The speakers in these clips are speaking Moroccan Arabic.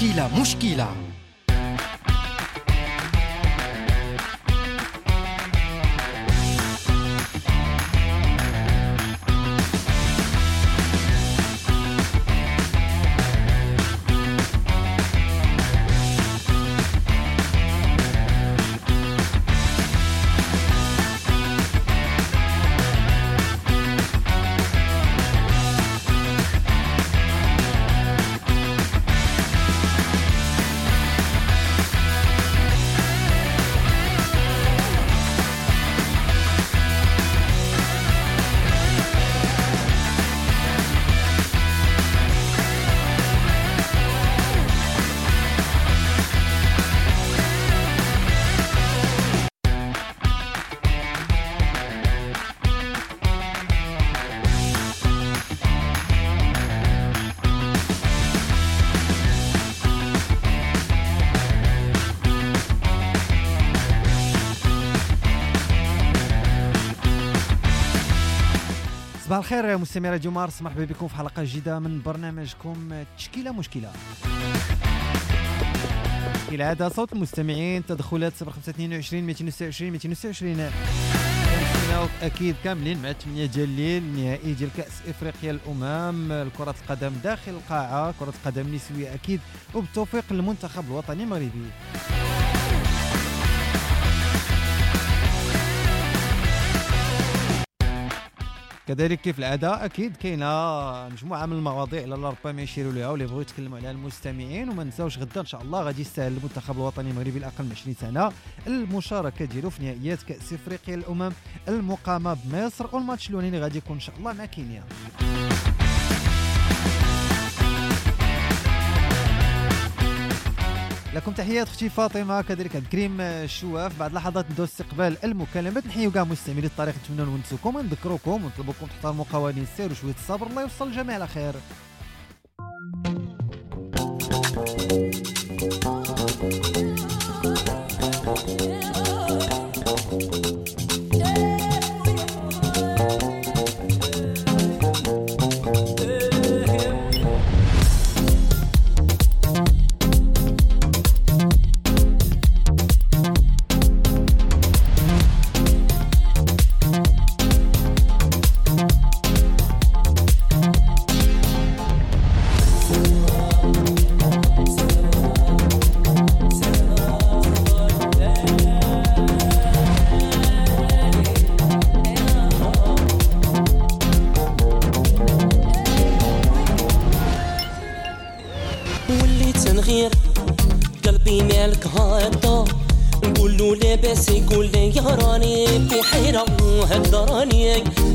تشكيلة مشكلة. صباح الخير مستمعي راديو مارس، مرحبا بكم في حلقة جديدة من برنامجكم تشكيلة مشكلة. كالعادة صوت المستمعين، تدخلات 0522 226 226. كنتسناو أكيد كاملين مع 8 ديال الليل النهائي ديال كأس إفريقيا الأمم، كرة القدم داخل القاعة، كرة القدم النسوية أكيد، وبالتوفيق للمنتخب الوطني المغربي. كذلك كيف العادة اكيد كاينه مجموعة من المواضيع اللي ربما يشيروا لها واللي بغيو يتكلموا عليها المستمعين. وما نساوش غدا ان شاء الله غادي يستاهل المنتخب الوطني المغربي الاقل من 20 سنة المشاركة ديالو في نهائيات كاس افريقيا الامم المقامة بمصر، والماتش الاولاني غادي يكون ان شاء الله مع كينيا. لكم تحيات اختي فاطمة، كذلك عبد الكريم الشواف. بعد لحظات ندوز استقبال المكالمات، نحيو كاع مستعملي الطريق، نتمنوا نونسوكم ونذكروكم ونطلبوكم تحترموا قوانين السير وشوية الصبر. الله يوصل الجميع على خير.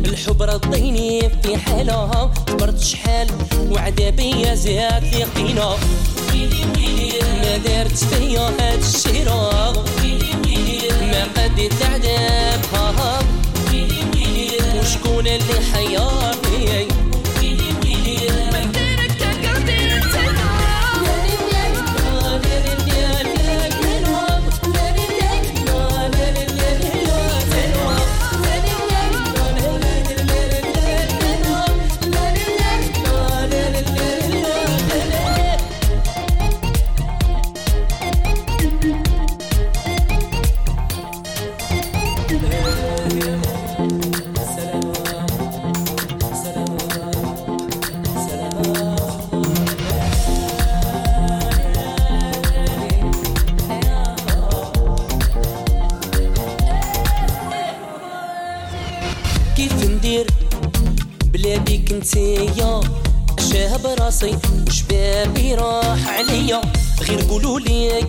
الحب رضيني في حالها، صبرت شحال وعذابي زاد لي قينا، ما دارت فيا هاد الشيرة، ما قديت العذاب، وشكون اللي حيرني؟ انتيا شاب راسي وشبابي راح عليا، غير قولوا لي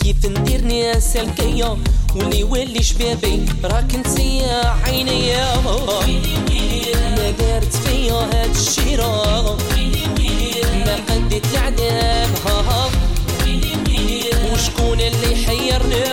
كيف ندير ناس الكيا، واللي ولي شبابي راك انتيا عينيا، ما دارت فيا هاد الشيرة، ما قديت العذاب، وشكون اللي حيرني؟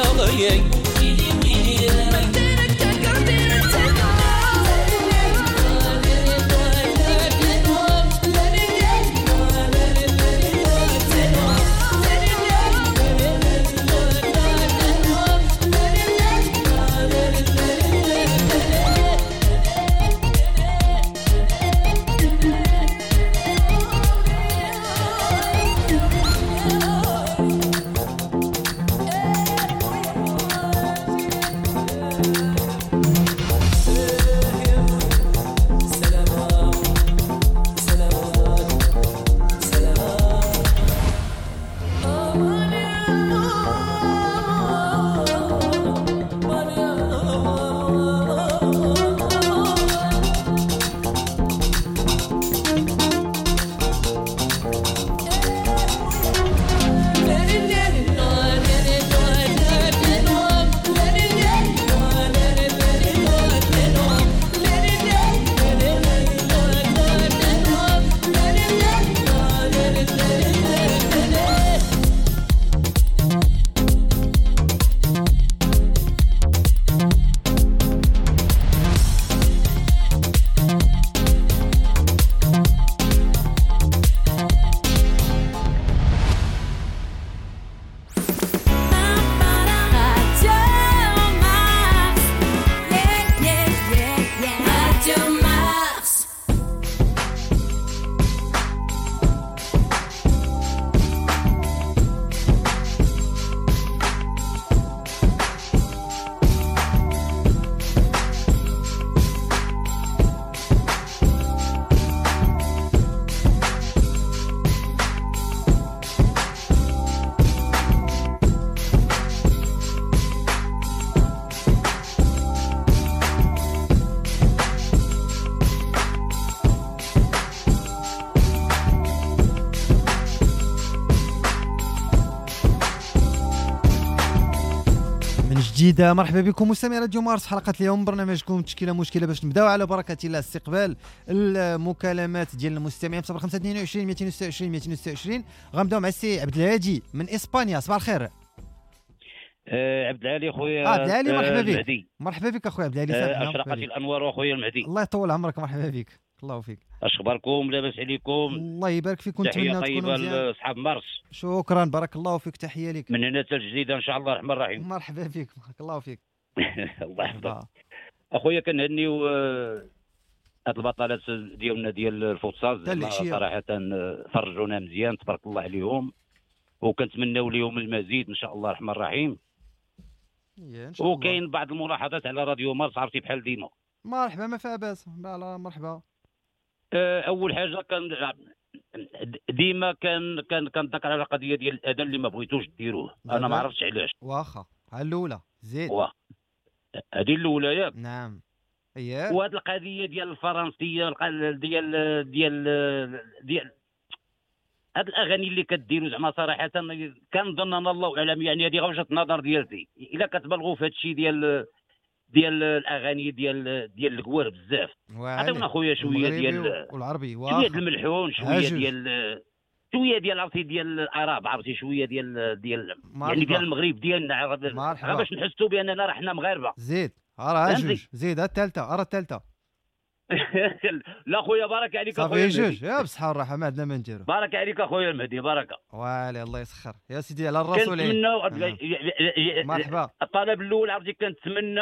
الجديدة. مرحبا بكم مستمعي راديو مارس، حلقة اليوم برنامجكم تشكيله مشكلة، باش نبداو على بركة الله استقبال المكالمات ديال المستمعين في 0522 226 226. غنبداو مع السي عبد الهادي من اسبانيا. صباح الخير عبد العالي خويا. عبد العالي مرحبا بك. مرحبا بك اخويا عبد العالي. اشرقت الانوار اخويا المهدي، الله يطول عمرك. مرحبا بك، الله فيك. اش اخباركم؟ لاباس عليكم؟ الله يبارك فيك ونتمنى تكونوا مزيان. لاصحاب مارس شكرا، بارك الله فيك، تحية لك من هنا حتى الجديدة ان شاء الله الرحمن الرحيم. مرحبا بك، بارك الله فيك. الله يحفظك اخويا. كنهنيو هاد البطلات ديالنا ديال الفوتسال، صراحة فرجونا مزيان تبارك الله عليهم، وكنتمناو لهم المزيد ان شاء الله الرحمن الرحيم. وكاين بعض الملاحظات على راديو مارس، عرفتي بحال ديما. مرحبا، ما فيها باس، مرحبا. اول حاجة كان ديما كان كنذكر على القضية ديال الاذان اللي ما بغيتوش ديروه، انا ما عرفتش علاش. واخا على الاولى زيد، هذه الاولى ياك. نعم اييه. وهذه القضية ديال الفرنسية ديال ديال ديال هاد الاغاني اللي كديروا زعما صراحة كنظن انا الله اعلم، يعني هذه وجهه النظر ديالتي، الا كتبالغوا في هذا الشيء ديال الاغاني ديال الكوار بزاف. عطيونا خويا شوية ديال والعربي، شوية ديال الملحون، شوية ديال عرفتي ديال العرب، عرفتي شوية ديال يعني ديال المغرب ديالنا، غير باش نحسوا باننا راه حنا مغاربة. زيد راه جوج، زيد الثالثة، راه الثالثة. لا خويا بارك عليك اخويا جوج، يا بصحة والراحة، ما عندنا ما نديرو. بارك عليك اخويا المهدي، بركة والي الله يسخر يا سيدي على الراس والعين. مرحبا. الطلب الاول عرفتي كنتمنى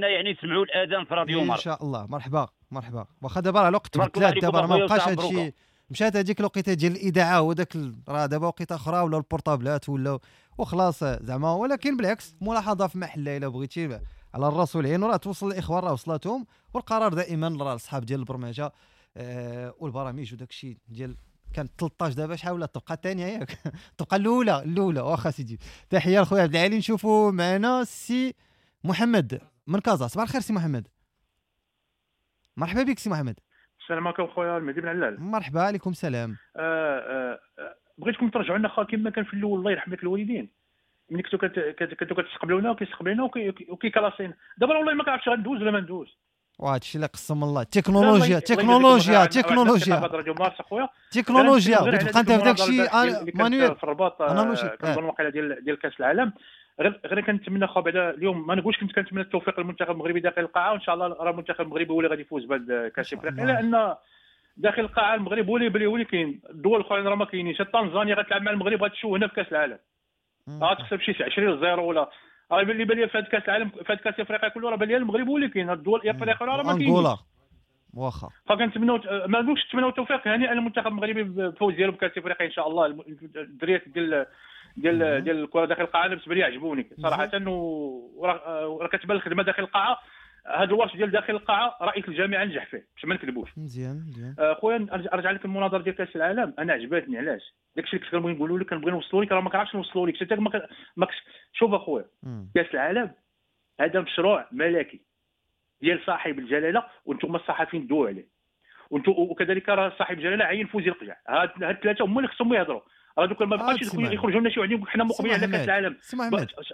يعني يسمعوا الاذان في راديو مارس ان شاء الله. مرحبا مرحبا. واخا دابا راه الوقت تبدلات، دابا ما بقاش هادشي، مشات هذيك الوقيته ديال الاذاعة وداك، راه دابا وقيته اخرى ولا البورطابلات ولا وخلاص زعما. ولكن بالعكس ملاحظة في محلها الا بغيتي على الراس والعين، وراه توصل الاخوان راه وصلاتهم، والقرار دائما راه الاصحاب ديال البرمجة والبرامج وداك الشيء ديال كانت 13 دابا شحال ولا الطبقة الثانية ياك الطبقة الاولى. واخا سيدي، تحية لخويا عبد العالي. نشوفوا معنا السي محمد من كازا. صباح الخير سي محمد. مرحبا بك سي محمد. السلام عليكم خويا المهدي بن علال. مرحبا، عليكم السلام. بغيتكم ترجعوا لنا كما كان في الاول، الله يرحم لك الوالدين، ملي كنتو كتستقبلونا وكيستقبلونا وكيكلاسين. دابا والله ما كنعرفش غندوز ولا ما ندوز. وهذا الشيء اللي قسم الله، تكنولوجيا تكنولوجيا تكنولوجيا تكنولوجيا. بتبقى انت في داك الشيء manuel في الرباط. كنظن واقيلا ديال كاس العالم. غير كنتمنى خو بعدا اليوم، ما نقولش كنت كنتمنى التوفيق للمنتخب المغربي داخل القاعة، وان شاء الله راه المنتخب المغربي هو اللي غادي يفوز بهذا كاس افريقيا، لان داخل القاعة المغرب هو اللي كاين. الدول الاخرين راه ما كاينينش. تنزانيا غتلعب مع المغرب غتشوه هنا في كاس العالم، غتخسر بشي 20-0 ولا. راه اللي بان لي في هذا كاس العالم، في هذا كاس افريقيا كله راه بان لي المغرب هو اللي كاين، الدول الافريقية راه ما كاينينش. انغولا واخا. فكنتمناو، ما نقولش نتمناو التوفيق، هنيئا للمنتخب المغربي بالفوز ديالو بكاس افريقيا ان شاء الله. الدريات ديال ديال ديال الكره داخل القاعة بالنسبة لي عجبوني صراحة، وراه كتبان الخدمة داخل القاعة. هذا الورش ديال داخل القاعة رئيس الجامعة نجح فيه باش ما نكذبوش. مزيان مزيان خويا. ارجع لك المناظرة ديال كاس العالم، انا عجبتني. علاش؟ داكشي اللي كنت كنبغي نقولوا لك كنبغي نوصلوا لك، راه ما كنعرفش نوصلوا لك حتى ما شوف اخويا، كاس العالم هذا مشروع ملكي ديال صاحب الجلاله، وانتم الصحفيين دووا عليه، وانتم وكذلك راه صاحب الجلاله عين فوزي القجع. هاد الثلاثة هما اللي خصهم يهضروا. راه دوك ما بقاش يخرجوا لنا شي وحدين حنا مقبلين على كاس العالم.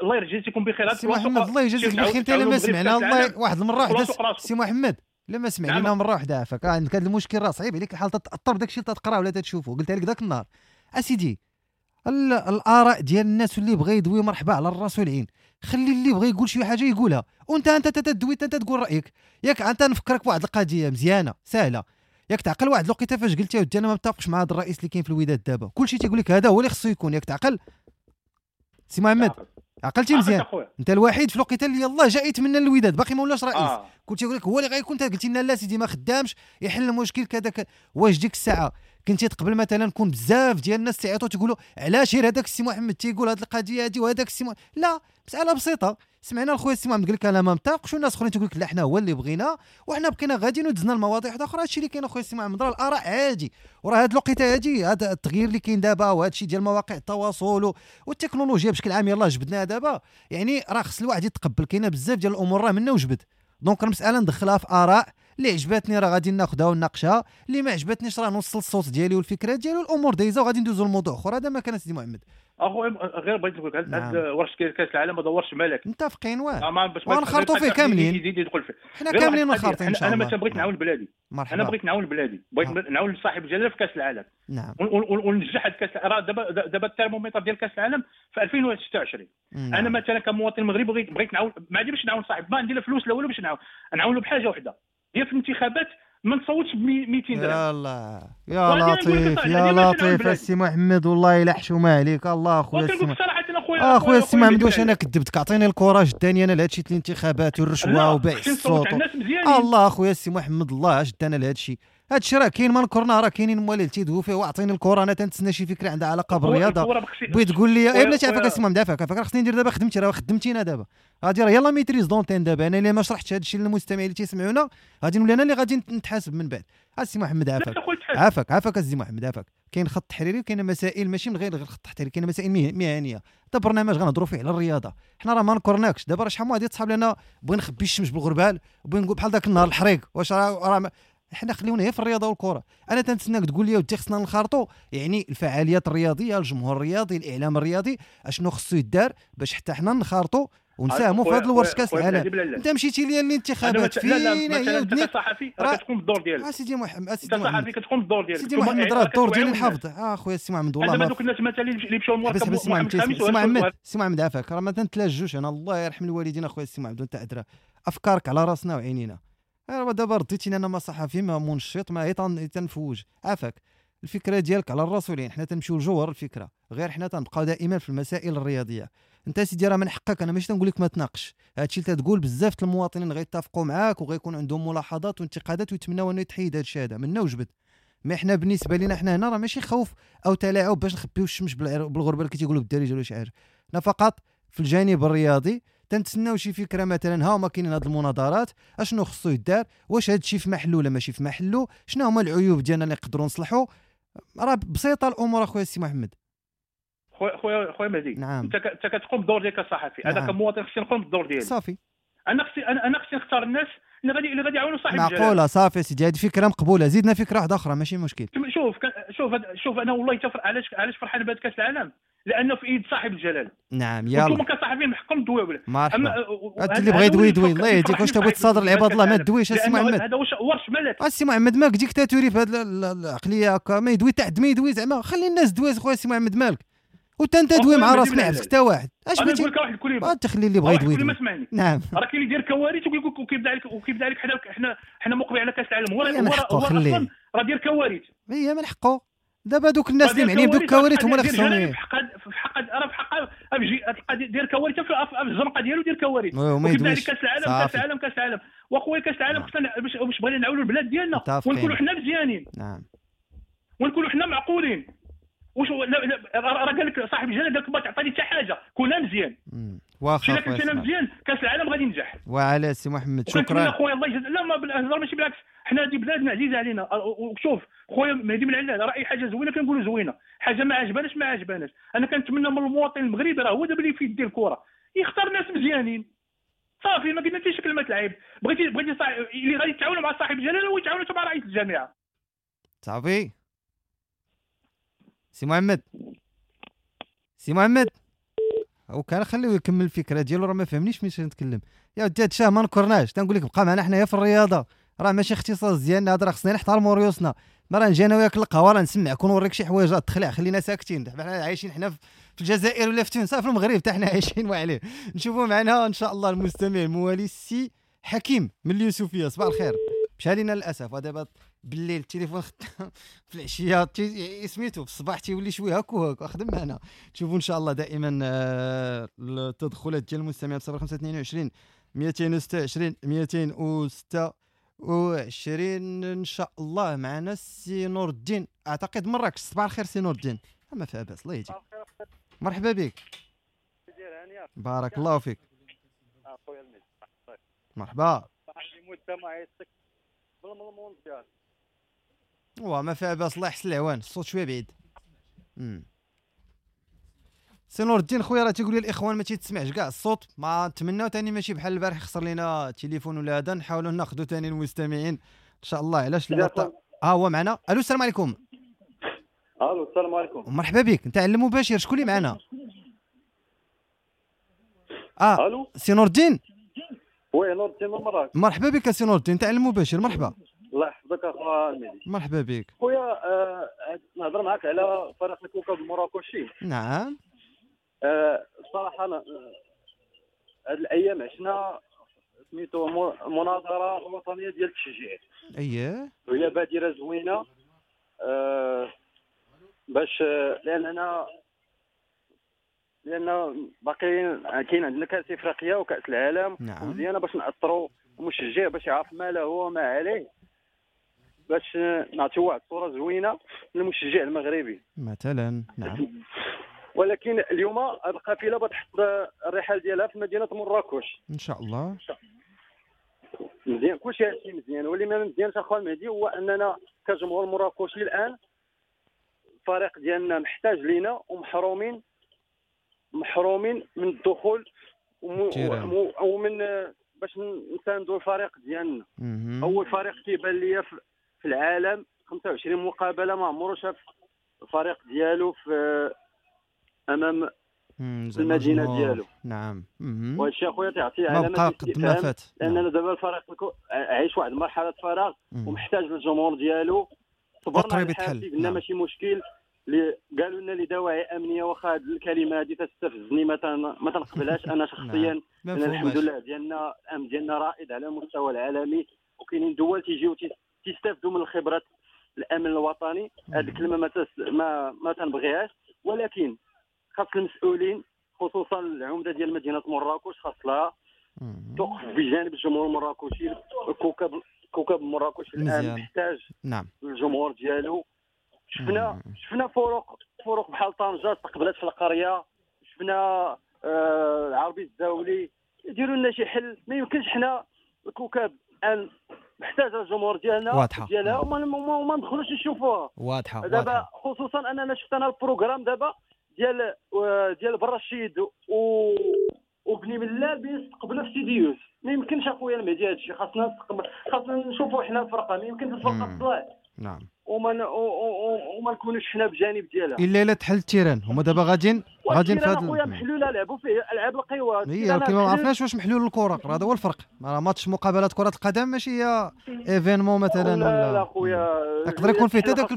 الله يجازيكم بخير. سي محمد الله يجازيك بخير. انت لما سمعنا الله واحد المرة واحدة سي محمد، لما سمع لنا مرة واحدة عافاك، عندك هذا المشكل راه صعيب عليك الحال، تاثر بداك الشيء اللي تقرا ولا تشوفه. قلت لك ذاك النهار اسيدي، الاراء ديال الناس واللي بغى يدوي مرحبا على الراس والعين، خلي اللي بغى يقول شي حاجة يقولها، وانت انت تدوي انت تقول رايك. ياك انت نفكرك بواحد القضية مزيانه سهلة، ياك تعقل واحد الوقيته فاش قلت يا ودي انا ما متفقش مع هذا الرئيس اللي كاين في الوداد دابا، كلشي تيقول لك هذا هو اللي خصو يكون. ياك تعقل سي محمد؟ عقلتي مزيان؟ انت الوحيد في الوقيته اللي يلاه جا يتمنى الوداد باقي ما ولاش رئيس، كنت يقول لك هو اللي غيكون. انت قلتي لنا لا سيدي ما خدامش يحل المشكل كذا. واش ديك الساعة كنتي تقبل مثلا كون بزاف ديال الناس تيعيطوا تيقولوا علاش غير هذاك السي محمد تيقول هذه القضية هذه وهذاك السي لا، مسالة بسيطة. سمعنا الخويا السي محمد قال لك انا ما متفقش، والناس اخرين تيقول لك لا حنا هو اللي بغينا، وحنا بقينا غاديين ودزنا المواضيع واحدة اخرى. هادشي اللي كاين اخويا السي محمد، راه الاراء عادي، وراه هاد الوقيته هادي هذا التغيير اللي كاين دابا وهذا الشيء ديال مواقع التواصل والتكنولوجيا بشكل عام يلاه جبدناها دابا، يعني راه خص الواحد يتقبل. كاينه بزاف ديال الامور راه منا وجبد، donc المسالة ندخلها في اراء اللي عجبتني راه غادي ناخذها ونناقشها، اللي ما عجبتنيش راه نوصل الصوت ديالي والفكرة ديالي والامور دايزه وغادي ندوزو لموضوع اخر. هذا ما كان سيدي محمد. اخويا غير بغيت نقول لك هذا ورش كاس العالم ما دورش ملك، متفقين واه ونخرطوا فيه كاملين، حنا كاملين منخرطين ان شاء الله. انا مثلا بغيت نعاون بلادي، مرحبا. انا بغيت نعاون بلادي، بغيت نعاون صاحب الجلاله في كاس العالم. نعم. وننجح هذا كاس. راه دابا الترمومتر ديال كاس العالم في 2026. نعم. انا مثلا كمواطن مغربي بغيت نعاون، ما عندي باش نعاون صاحب، ما عندي لا فلوس لا والو باش نعاونو بحاجة وحده، هي في الانتخابات ما نصوتش ب 200 درهم. يا الله يا لطيف يا لطيف السي محمد، والله الا حشومه عليك. الله اخويا السي اخويا السي محمد، واش انا كذبتك؟ اعطيني ال courage الثاني انا لهادشي الانتخابات والرشوه وبيع الصوت. الله اخويا السي محمد، الله اش دانا لهادشي؟ هادشي راه كاين، ما نكرنا راه كاينين موالي تيدويو فيه. واعطيني الكره، انا تنتسنى شي فكرة عندها علاقة بالرياضة. بغيت تقول لي اي بلاتي عافاك السي محمد، عافاك عافاك، خصني ندير دابا خدمتي، راه خدمتينا دابا غادي راه يلا maîtrise d'antenne دابا. انا الا ما شرحتش هادشي للمستمعين اللي تيسمعونا غادي نولي انا اللي غادي نتحاسب من بعد. السي محمد عافاك عافاك عافاك السي محمد عافاك. كاين خط تحريري وكاين مسائل ماشي من غير الخط التحريري، كاين مسائل مهنية. هذا برنامج غنهضروا فيه على الرياضة، حنا راه ما نكرناكش. دابا راه شحال من واحد يتصحاب لنا بغي نخبي الشمس بالغربال، بغي نقول بحال ذاك النهار الحريق، واش راه حنا خليونا غير في الرياضة والكره. انا تنتسناك تقول لي ودي خصنا نخرطوا يعني الفعاليات الرياضية، الجمهور الرياضي، الاعلام الرياضي، اشنو خصو يدار باش حتى حنا نخرطوا ونساهموا في هذا الورش كاس العالم. انت مشيتي ليا للانتخابات فين هي ودنيك؟ انت صحفي راه كتقوم بالدور ديالك. سيدي محمد، انت صحفي كتقوم بالدور ديالك. سيدي محمد راه الدور ديالي نحافظ. اخويا السي محمد والله ما دوك الناس مثلا اللي مشاو المركب. السي محمد، السي محمد عافاك، راه ما تنتلاجوش انا، الله يرحم الوالدين اخويا السي محمد، وانت ادرى افكارك على راسنا وعينينا. راه دابا رديتيني انا ما صحفي ما منشط ما تنفوج. عافاك الفكرة ديالك على الراس والعين، حنا تنمشيو لجوهر الفكرة، غير حنا تنبقاو دائما في المسائل الرياضية. انت سيدي راه من حقك، انا ماشي تنقول لك ما تناقش هادشي اللي تقول، بزاف المواطنين غيتفقوا معاك وغيكون عندهم ملاحظات وانتقادات ويتمناو انه يتحيد هادشي هذا منا وجبد. mais حنا بالنسبة لينا حنا هنا راه ماشي خوف او تلاعب باش نخبيو الشمس بالغربال اللي كيتيقولوا بالدارجة ولا شي حاجة. حنا فقط في الجانب الرياضي تنتسناو شي فكرة، مثلا ها هما كاينين هاد المناظرات، اشنو خصو يدار، واش هاد الشيء في محلو ولا ماشي في محلو، شنو هما العيوب ديالنا اللي نقدروا نصلحوا. راه بسيطة الامور اخويا السي محمد. خويا مهدي. نعم. انت كتقوم بالدور ديالك كصحفي. نعم. انا كمواطن خصني نقوم بالدور ديالي. صافي. انا خصني نختار الناس اللي غادي يعاونوا صاحب الجلاله. معقولة صافي سيدي، هذه فكرة مقبولة، زيدنا فكرة واحدة اخرى ماشي مشكل. شوف شوف شوف، انا والله علاش فرحان بهذا كاس العالم، لانه في ايد صاحب الجلاله. نعم يلا انتم كصحفيين من حقكم تدويو. اما اللي بغى يدوي يدوي، الله يهديك. واش تبغي تصادر العباد الله؟ ما تدويش السي محمد، هذا ورش ملك السي محمد، مالك ديكتاتوري في هذه العقلية هكا، ما يدوي تحت ما يدوي زعما، خلي الناس دوي خويا السي محمد مالك، وانت انت دوي مع راسك ما يحبسك حتى واحد. اش بغيتي نقول لك واحد الكلمة، تخلي اللي بغى يدوي. نعم. راه كاين اللي يدير كوارث وكيبدا عليك حنا مقبل على كاس العالم، هو اصلا راه دير كوارث. هي من حقه. دابا دوك الناس اللي معنيين بدوك الكوارث هما اللي خصهم في حق راه في حق تلقى دير كوارث في الزنقة ديالو، دير كوارث وكيبدا عليك كاس العالم كاس العالم كاس العالم. واخويا كاس العالم خصنا باش بغينا نعاونوا البلاد ديالنا ونكونوا حنا مزيانين. نعم. ونكونوا حنا معقولين. واش راه قال لك صاحب الجلاله، قال لك ما تعطيني حتى حاجة، كون مزيان. واخا كنت مزيان كاس العالم غادي ينجح. وعلى سي محمد شكرا خويا، الله يجزاك. لا ما بالهضره ماشي بالعكس، حنا هذه بلادنا عزيزه علينا. وشوف خويا مهدي من علال، راه اي حاجة زوينة كنقولوا زوينة، حاجة ما عجباناش ما عجباناش. انا كنتمنى من المواطن المغربي راه هو دابا اللي في يديه الكره يختار ناس مزيانين. صافي ما قلنا حتى شي كلمة العيب. بغيتي اللي غادي يتعاونوا مع صاحب الجلاله ويتعاونوا مع رئيس الجامعة. صافي سي محمد، سي محمد وكان خليه يكمل الفكرة ديالو، راه ما فهمنيش ملي نتكلم. يا ودي هادشي ما نكرناش، تنقول لك بقى معنا حنايا في الرياضة، راه ماشي اختصاص ديالنا هذا، راه خصنا نحترموا ريوسنا. ما راه نجي انا وياك القهوة راه نسمعك ونوريك شي حوايج تخلع، خلينا ساكتين. دابا حنا عايشين حنا في الجزائر ولا في تونس، في المغرب حتى حنا عايشين وعليه. نشوفوا معنا ان شاء الله المستمع الموالي السي حكيم من اليوسفيه. صباح الخير. مشى لينا للاسف، ودابا بالليل التليفون في العشية سميتو في الصباح تيولي شوية هاك وهاك. خدم معنا تشوفوا ان شاء الله دائما التدخلات ديال المستمعين 0522 226 226 ان شاء الله. معنا السي نور الدين اعتقد مراكش. صباح الخير سي نور الدين. ما فيها باس، الله يهديك. مرحبا بك. بارك الله فيك. مرحبا. وما فيها باس، الله يحسن العوان. الصوت شوية بعيد. سي نور الدين خويا راه تيقول لي الاخوان ما تيتسمعش كاع الصوت، ما نتمناو ثاني ماشي بحال البارح خسر لينا التليفون ولا هذا، نحاولوا ناخذوا ثاني المستمعين ان شاء الله. علاش لا؟ ها هو معنا. الو السلام عليكم. الو السلام عليكم. مرحبا بك، انت على المباشر، شكون اللي معنا؟ الو سي نور الدين. oui نور الدين من مراكش. مرحبا بك سي نور الدين، انت على المباشر. مرحبا. الله يحفظك اخويا المهدي. مرحبا بك خويا. نهضر معاك على فريق الكوكب المراكشي. نعم. الصراحة هاد الايام عشنا سميتو مناظرة وطنية ديال التشجيع. اييه وهي بادره زوينة باش لان باقي كاين عندنا كاس افريقيا وكاس العالم. نعم. مزيانه باش ناثروا المشجع باش يعرف ما له وما عليه، باش نعطيو واحد الصورة زوينة للمشجع المغربي مثلا. نعم. ولكن اليوم القافلة بتحط الرحال ديالها في مدينة مراكش ان شاء الله. مزيان، كلشي هادشي مزيان، واللي ما مزيانش اخويا المهدي هو اننا كجمهور مراكشي الان الفريق ديالنا محتاج لينا ومحرومين من الدخول ومن باش نساندوا الفريق ديالنا. اول فريق كيبان ليا في العالم 25 مقابله ما عمرو شاف الفريق ديالو في امام المدينة ديالو. نعم. وهادشي اخويا تعطي علامة استفهام، لاننا دابا الفريق عايش واحد مرحلة فراغ ومحتاج للجمهور ديالو. صبرنا الحال، قلنا ماشي مشكل، اللي قالوا لنا لدواعي امنية، واخا هذه الكلمة هذه تستفزني ما تنقبلهاش انا شخصيا. لان الحمد لله ديالنا الامن ديالنا رائد على المستوى العالمي، وكاينين دول تيجيو تيستافدوا من الخبرات الامن الوطني. هذه الكلمة ما تنبغيهاش، ولكن خاص المسؤولين خصوصا العمدة ديال مدينة مراكش خاص لها توقف بجانب الجمهور المراكشي. كوكب مراكش الان محتاج. نعم. الجمهور ديالو. شفنا فروق بحال طنجه استقبلت في القرية، شفنا العربي الزاولي. يديروا لنا شي حل، ما يمكنش حنا الكوكب الان محتاج الجمهور ديالنا ديالها وما ندخلوش نشوفوها. واضحة دابا، خصوصا اننا شفت انا ال programme دابا ديال برشيد وبني ملال بيستقبلوا في سيدي يوسف. ما يمكنش اخويا المهدي هادشي، خاصنا نشوفوا حنا الفرقة، ما يمكنش الفرقة تطلع. نعم. وما نكونوش حنا بجانب ديالها الا تحل ال terrain. هما دابا غاديين في هذا خويا محلولة، لعبوا فيه العاب القوى. هي ولكن ما عرفناش واش محلول الكره، هذا هو الفرق. راه ماتش مقابلات كره القدم ماشي هي événement مثلا. لا لا خويا، يقدر يكون فيه حتى داك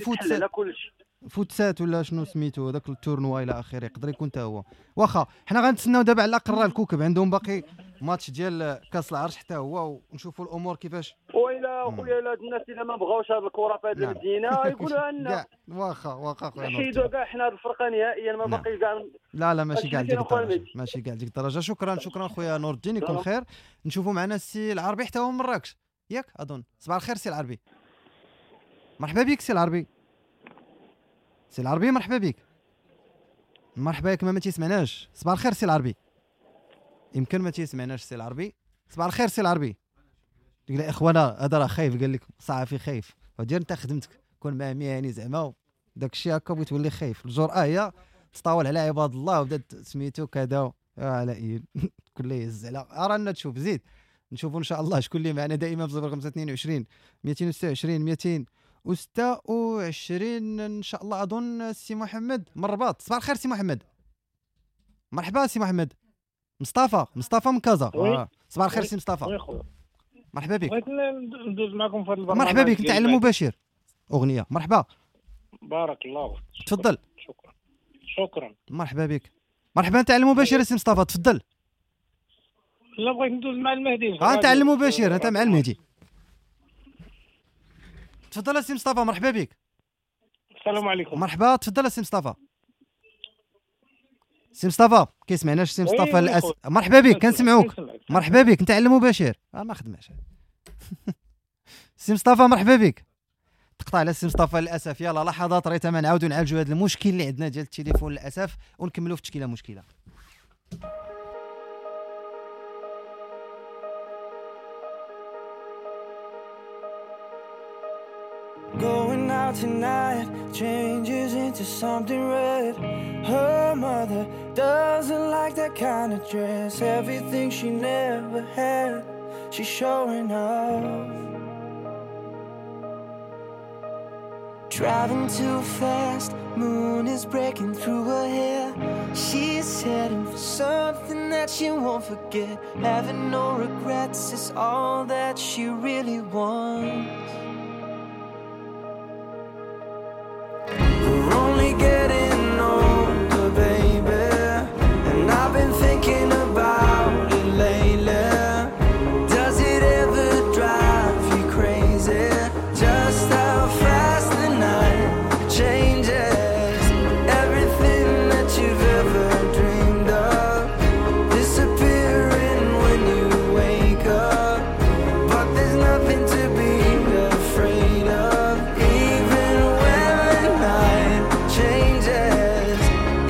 الفوتسات ولا شنو سميتو داك ال tournoi الى اخره، يقدر يكون حتى هو. واخا حنا غنتسناو دابا على الاقل راه الكوكب عندهم باقي ماتش ديال كاس العرش حتى هو، ونشوفوا الامور كيفاش. وإلا خويا الا الناس الا ما بغاوش هذه الكره في هذه المدينة يقولوها لنا. واخا خويا نحيدوا كاع حنا هذه الفرقة نهائيا، ما باقي كاع. لا ماشي كاع لديك الدرجة، ماشي كاع لديك الدرجة. شكرا خويا نور الدين، يكون خير. نشوفوا معنا السي العربي حتى هو من مراكش، ياك اظن. صباح الخير سي العربي. مرحبا بك سي العربي. سي العربي مرحبا بك. مرحبا بك، ما تيسمعناش. صباح الخير سي العربي. يمكن ما تيسمعناش سي العربي. صباح الخير سي العربي. تقول يا اخوانا هذا راه خايف، قال لك صحفي خايف. ودير انت خدمتك، كون مع مهني زعما داك الشيء هكا بغيت تولي خايف. الجرأة هي تطاول على عباد الله وبدات سميتو كذا على اي كل يهز على رانا تشوف. زيد نشوفوا ان شاء الله شكون اللي معنا دائما في 0522 226 226 ان شاء الله. اظن سي محمد من الرباط. صباح الخير سي محمد. مرحبا سي محمد. مصطفى من كازا. صباح الخير سي مصطفى. مرحبا بك. بغيت ندوز معكم في هذا البرنامج. مرحبا بك، انت على المباشر. اغنية. مرحبا. بارك الله فيك. تفضل. شكرا. مرحبا بك. مرحبا، انت على المباشر سي مصطفى، تفضل. لا بغيت ندوز مع المهدي. انت على المباشر، انت مع المهدي. تفضل سي مصطفى، مرحبا بك. السلام عليكم. مرحبا، تفضل سي مصطفى. سي مصطفى كيسمعناش سي مصطفى للاسف. مرحبا بك، كنسمعوك. مرحبا بك، انت على المباشر. ما خدماش. سي مصطفى مرحبا بك. تقطع على سي مصطفى للاسف. يلا لحظات ريتما نعاودوا نعالجوا هذا المشكل اللي عندنا ديال التليفون للاسف، ونكملوا في تشكيله مشكلة. Going out tonight changes into into something red. Her mother doesn't like that kind of dress. Everything she never had, she's showing off. Driving too fast, moon is breaking through her hair. She's heading for something that she won't forget. Having no regrets is all that she really wants. We're only getting older, baby, and I've been thinking about it lately. Does it ever drive you crazy? Just how fast the night changes. Everything that you've ever dreamed of disappearing when you wake up. But there's nothing to be afraid of. Even when the night changes,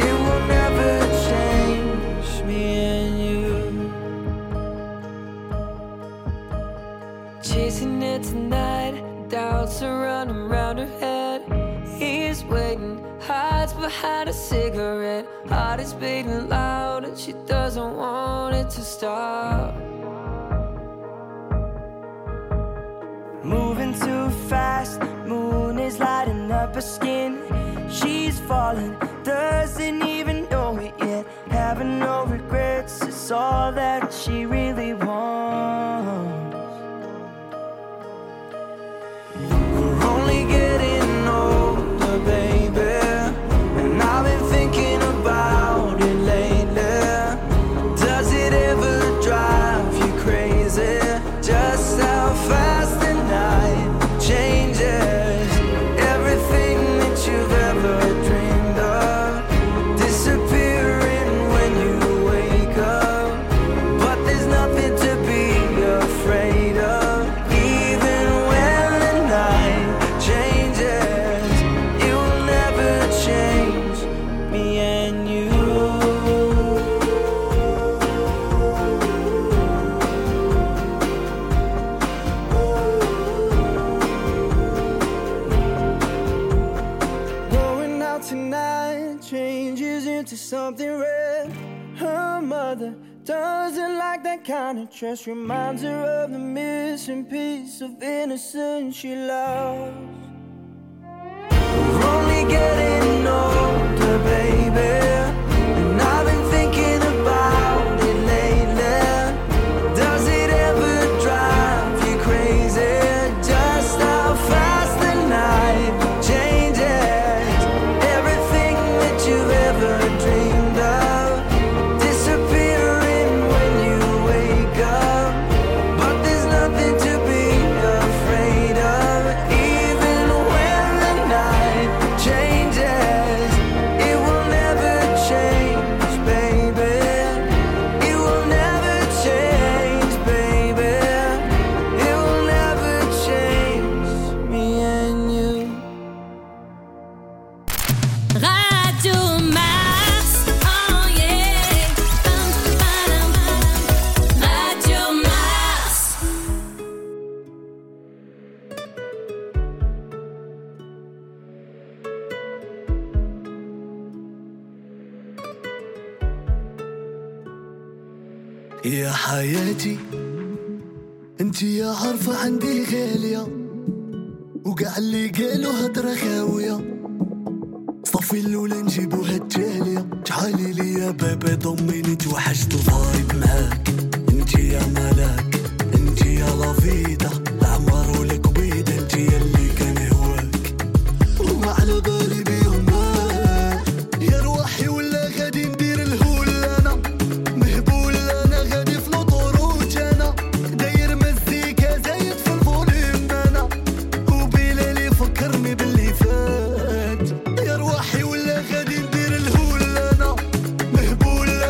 it will never change me and you. Chasing it tonight, doubts are running round her head. He's waiting, hides behind a cigarette. Heart is beating loud and she doesn't want it to stop. Moving too fast, moon is lighting up her skin. She's falling, doesn't even know it yet. Having no regrets is all that she really wants. We're only getting older, baby, and I've been thinking about it lately. Does it ever drive you crazy? Just how fast the night changes. Everything that you've ever dreamed of disappearing when you wake up. But there's nothing to be afraid of. Even when the night changes, it will never change me and you. Going out tonight changes into something red. Her mother doesn't like that kind of dress. Reminds her of the missing piece of innocence she lost. We're only getting older, baby, and I've been thinking about it lately. Does it ever drive you crazy? Just how fast the night changes. Everything that you've ever dreamed of disappearing when you wake up. But there's nothing to be afraid of. Even when the night changes, it will never change, baby. It will never change, baby. It will never change me and you. Radio Mars, oh yeah. Pam, pam, Radio Mars. يا حياتي انت يا عارفة عندي غالية، وقع اللي قالوا هضرة خاوية. صافي الأولى نجيبوها التالية. تعالي لي يا بابا ضميني، توحشت ال vibe معاك. انت يا ملاك، انت يا la vida،